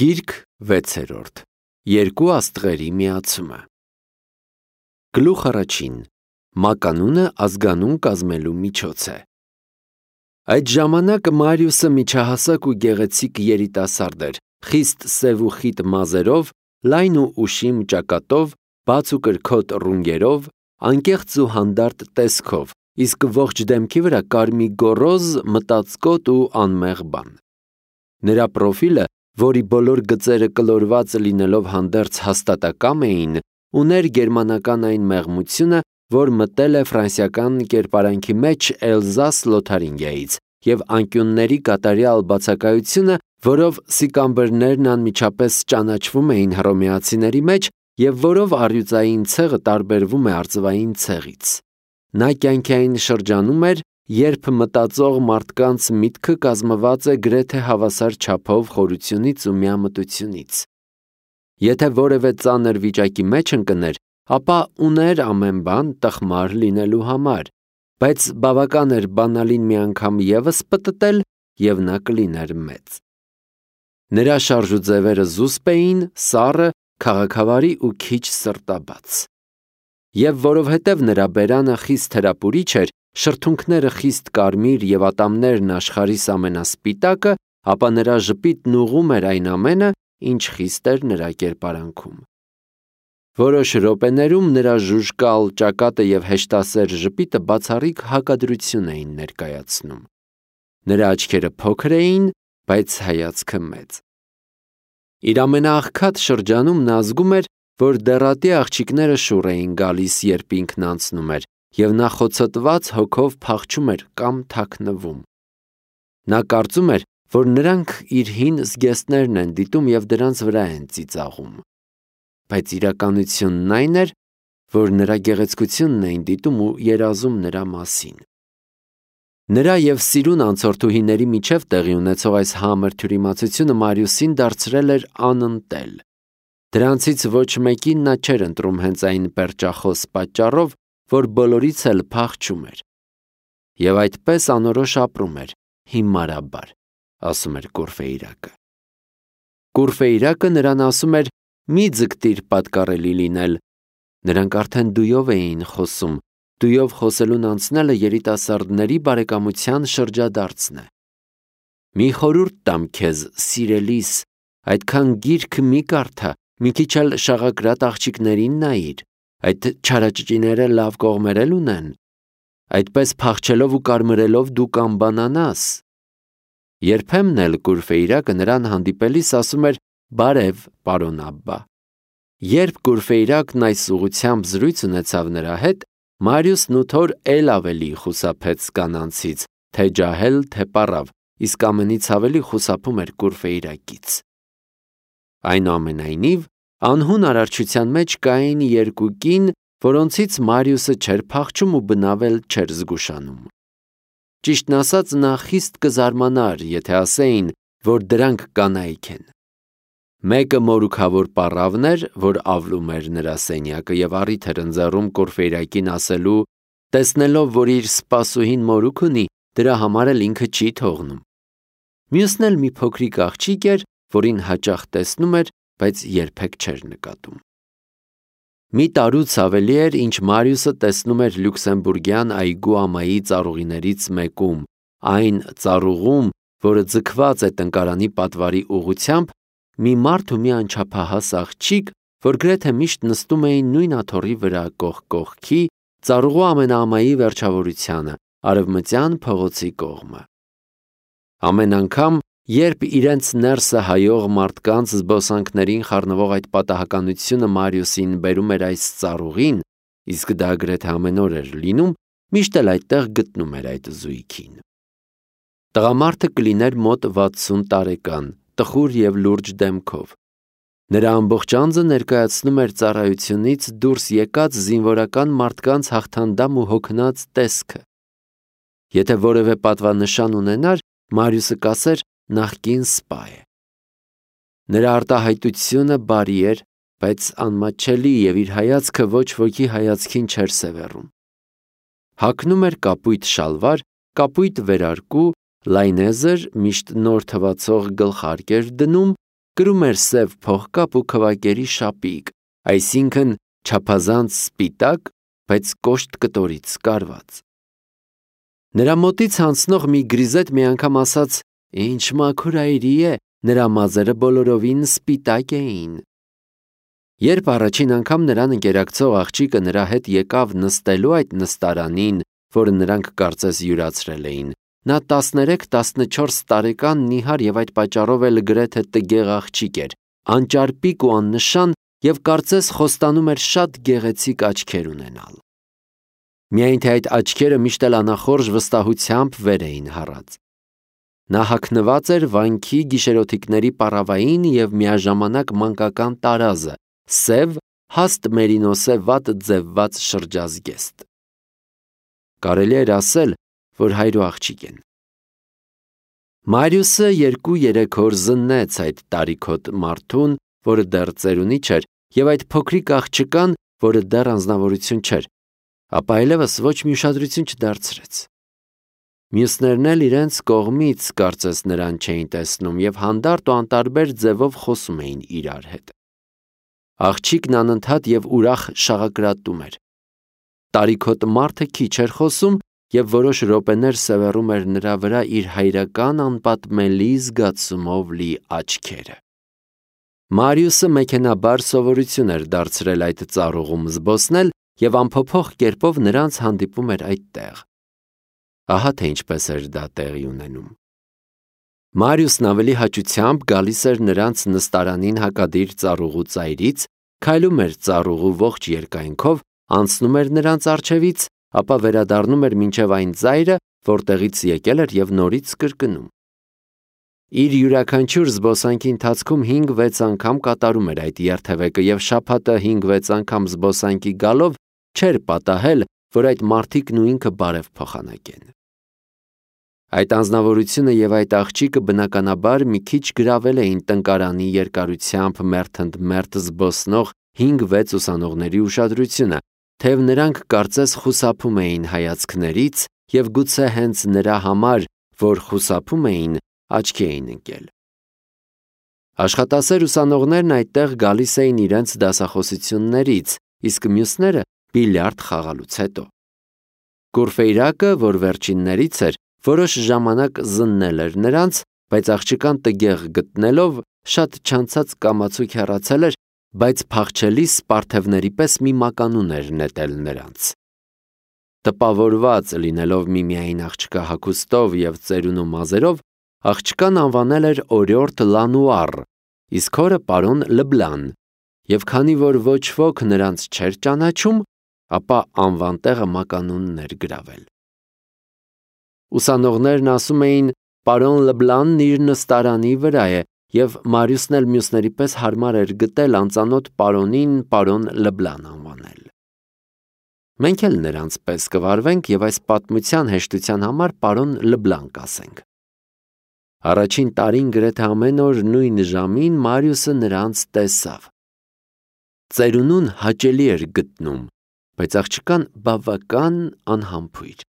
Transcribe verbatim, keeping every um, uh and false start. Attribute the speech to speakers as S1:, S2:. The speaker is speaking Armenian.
S1: Գիրք վեցերորդ. Երկու աստղերի միացումը։ Գլուխ առաջին. Մականունը ազգանուն կազմելու միջոց է։ Այդ ժամանակ Մարիուսը միջահասակ ու գեղեցիկ երիտասարդ էր, խիստ սև ու խիտ մազերով, լայն ու ուշիմ ճակատով, բաց ու կրքոտ ռունգերով, անկեղծ ու հանդարտ տեսքով, իսկ ողջ դեմքի վրա կար մի գոռոզ, մտածկոտ ու անմեղ բան։ Նրա պրոֆիլը, որի բոլոր գծերը կլորված լինելով հանդերձ հաստատակամ էին, ուներ գերմանական այն մեղմությունը, որ մտել է ֆրանսիական կերպարանքի մեջ Էլզաս Լոթարինգիայից, և անկյունների կատարյալ բացակայությունը, որով սիկամբրներն անմիջապես ճանաչվում էին հռոմեացիների մեջ և որով առյուծային ցեղը տարբերվում է արծվային ցեղից։ Նա կյանքային շրջանում էր, երբ մտածող մարդկանց միտքը կազմված է գրեթե հավասար չափով խորությունից ու միամտությունից։ Եթե որևէ ծանր վիճակի մեջ ընկներ, ապա ուներ ամեն բան տխմար լինելու համար, բայց բավական էր բանալին մի անգամ ևս պտտել, և նա կլիներ մեծ։ Նրա շարժուձևերը զուսպ էին, սառը, քաղաքավարի ու քիչ սրտաբաց։ Եվ որովհետև նրա բերանը խիստ հրապուրիչ էր, շրթունքները խիստ կարմիր և ատամներն աշխարհիս ամենասպիտակը, ապա նրա ժպիտն ուղղում էր այն ամենը, ինչ խիստ էր նրա կերպարանքում։ Որոշ րոպեներում նրա ժուժկալ ճակատը և հեշտասեր ժպիտը բացառիկ հակադրություն էին ներկայացնում։ Նրա աչքերը փոքր էին, բայց հայացքը մեծ։ Իր ամենաաղքատ շրջանում նա զգում էր, որ դեռատի աղջիկները շուռ էին գալիս, երբ ինքն անցնում էր, և նա խոցոտված հոգով փախչում էր կամ թաքնվում։ Նա կարծում էր, որ նրանք իր հին զգեստներն են դիտում և դրանց վրա են ծիծաղում։ Բայց իրականությունն այն էր, որ նրա գեղեցկությունն էին դիտում ու երազում նրա մասին։ Նրա և սիրուն անցորդուհիների միջև տեղի ունեցող այս համր թյուրիմացությունը Մարիուսին դարձրել էր անընտել։ Դրանցից ոչ մեկին նա չէր ընտրում հենց այն պերճախոս պատճառով, որ բոլորից էլ փախչում էր։ Եվ այդպես անորոշ ապրում էր, հիմարաբար, ասում էր Կուրֆեյրակը։ Կուրֆեյրակը նրան ասում էր. «Մի ձգտիր պատկառելի լինել»։ Նրանք արդեն դույով էին խոսում, դույով խոսելուն անցնելը երիտասարդների բարեկամության շրջադարձն է։ Մի խորհուրդ տամ քեզ, սիրելիս, այդքան գիրք մի կարդա, մի քիչ էլ շաղակրատ աղջիկներին նայիր, այդ չարաճճիները լավ կողմեր էլ ունեն։ Այդպես փախչելով ու կարմրելով դու կանբանանաս։ Երբեմն էլ Կուրֆեյրակը նրան հանդիպելիս ասում էր. «Բարև, պարոն Աբբա»։ Երբ Կուրֆեյրակն այս ուղղությամբ զրույց ունեցավ նրա հետ, Մարիուսն ութոր էլ ավելի խուսափեց կանանցից, թե ջահել, թե պառավ, իսկ ամենից ավելի խուսափում էր Կուրֆեյրակից։ Այնուամենայնիվ, անհուն արարչության մեջ կային երկու կին, որոնցից Մարիուսը չէր փախչում ու բնավ էլ չէր զգուշանում։ Ճիշտն ասած, նա խիստ կզարմանար, եթե ասեին, որ դրանք կանայք են։ Մեկը մորուքավոր պառավն էր, որ ավլում էր նրա սենյակը և առիթ էր ընձեռում Կուրֆեյրակին ասելու. տեսնելով, որ իր սպասուհին մորուք ունի, դրա համար էլ ինքը չի թողնում։ Մյուսն էլ մի փոքրիկ աղջիկ էր, որին հաճախ տեսնում էր, բայց երբեք չէր նկատում։ Մի տարուց ավելի էր, ինչ Մարիուսը տեսնում էր լյուքսեմբուրգյան այգու ամայի ծառուղիներից մեկում, այն ծառուղում, որը ձգված է տնկարանի պատվարի ուղղությամբ, մի մարդ ու մի անչափահաս աղջիկ, որ գրեթե միշտ նստում էին նույն աթոռի վրա կողք կողքի, ծառուղու ամենաամայի վերջավորությանը, արևմտյան փողոցի կողմը։ Ամեն անգամ, երբ իրենց ներսը հայող մարդկանց զբոսանքներին խառնվող այդ պատահականությունը Մարիուսին բերում էր այս ծառուղին, իսկ դա գրեթե ամեն օր էր լինում, միշտ էլ այդտեղ գտնում էր այդ զույգին։ Տղամարդը կլիներ մոտ վաթսուն տարեկան, տխուր և լուրջ դեմքով։ Նրա ամբողջ անձը ներկայացնում էր ծառայությունից դուրս եկած զինվորական մարդկանց հաղթանդամ ու հոգնած տեսքը։ Եթե որևէ պատվանշան ունենար, Մարիուսը կասեր նախկին սպա է։ Նրա արտահայտությունը բարի էր, բայց անմատչելի և իր հայացքը ոչ ոքի հայացքին չէր սևեռում։ Հագնում էր կապույտ շալվար, կապույտ վերարկու, լայնեզր, միշտ նոր թվացող գլխարկ էր դնում, կրում էր սև փողկապ ու քվակերի շապիկ, այսինքն չափազանց սպիտակ, բայց կոշտ կտորից կարված։ Նրա մոտից անցնող մի գրիզետ մի անգամ ասաց. «Ինչ մաքուր այրի է, նրա մազերը բոլորովին սպիտակ էին»։ Երբ առաջին անգամ նրան ընկերակցող աղջիկը նրա հետ եկավ նստելու այդ նստարանին, որը նրանք կարծես յուրացրել էին, նա տասներեք-տասնչորս տարեկան նիհար և այդ պատճառով էլ գրեթե տգեղ աղջիկ էր, անճարպիկ ու աննշան և կարծես խոստանում էր շատ գեղեցիկ աչքեր ունենալ։ Միայն թե այդ աչքերը միշտ էլ անախորժ վստահությամբ վեր էին հառած։ Նա հագնված էր վանքի գիշերօթիկների պառավային և միաժամանակ մանկական տարազը, սև, հաստ մերինոսե վատ ձևված շրջազգեստ։ Կարելի էր ասել, որ հայր ու աղջիկ են։ Մարիուսը երկու-երեք օր զննեց այդ տարիքոտ մարդուն, որը դեռ ծերունի չէր, և այդ փոքրիկ աղջկան, որը դեռ անձնավորություն չէր, ապա այլևս ոչ մի ուշադրություն չդարձրեց։ Մյուսներն էլ իրենց կողմից կարծես նրան չէին տեսնում և հանդարտ ու անտարբեր ձևով խոսում էին իրար հետ։ Աղջիկն անընդհատ և ուրախ շաղակրատում էր։ Տարիքոտ մարդը քիչ էր խոսում և որոշ րոպեներ սևեռում էր նրա վրա իր հայրական անպատմելի զգացումով լի աչքերը։ Մարիուսը մեքենաբար սովորություն էր դարձրել այդ ծառուղում զբոսնել և անփոփոխ կերպով նրանց հանդիպում էր այդտեղ։ Ահա թե ինչպես էր դա տեղի ունենում։ Մարիուսն ավելի հաճությամբ գալիս էր նրանց նստարանին հակադիր ծառուղու ծայրից, քայլում էր ծառուղու ողջ երկայնքով, անցնում էր նրանց առջևից, ապա վերադառնում էր մինչև այն ծայրը, որտեղից եկել էր և նորից կրկնում։ Իր յուրաքանչյուր զբոսանքի ընթացքում հինգ-վեց անգամ կատարում էր այդ երթևեկը և շաբաթը հինգ-վեց անգամ զբոսանքի գալով չէր պատահել, որ այդ մարդիկն ու ինքը բարև փոխանակեն։ Այդ անձնավորությունը և այդ աղջիկը բնականաբար մի քիչ գրավել էին տնկարանի երկարությամբ մերթ ընդ մերթ զբոսնող հինգ-վեց ուսանողների ուշադրությունը, թեև նրանք կարծես խուսափում էին հայացքներից և գուցե հենց նրա համար, որ խուսափում էին, աչքի էին ընկել։ Աշխատասեր ուսանողներն այդտեղ գալիս էին իրենց դասախոսություններից, իսկ մյուսները բիլիարդ խաղալուց հետո։ Կուրֆեյրակը, որ վերջիններից էր, որոշ ժամանակ զննել էր նրանց, բայց աղջկան տգեղ գտնելով, շատ չանցած կամացուկ հեռացել էր, բայց փախչելիս սպարթևների պես մի մականուն էր նետել նրանց։ Տպավորված լինելով միմիայն աղջկա հագուստով և ծերունու մազերով, աղջկան անվանել էր օրիորդ Լանուար, իսկ հորը պարոն Լբլան, և քանի որ ոչ ոք նրանց չէր ճանաչում, ապա անվան տեղը մականունն էր գրավել։ Ուսանողներն ասում էին. «Պարոն Լբլանն իր նստարանի վրա է», և Մարիուսն էլ մյուսների պես հարմար էր գտել անծանոթ պարոնին պարոն Լբլան անվանել։ Մենք էլ նրանց պես կվարվենք և այս պատմության հեշտության համար պարոն Լբլան կասենք։ Առաջին տարին գրեթե ամեն օր նույն ժամին Մարիուսը նրանց տեսավ։ Ծերունուն հաճելի էր գտնում, բայց աղջկան բավական անհամբույր։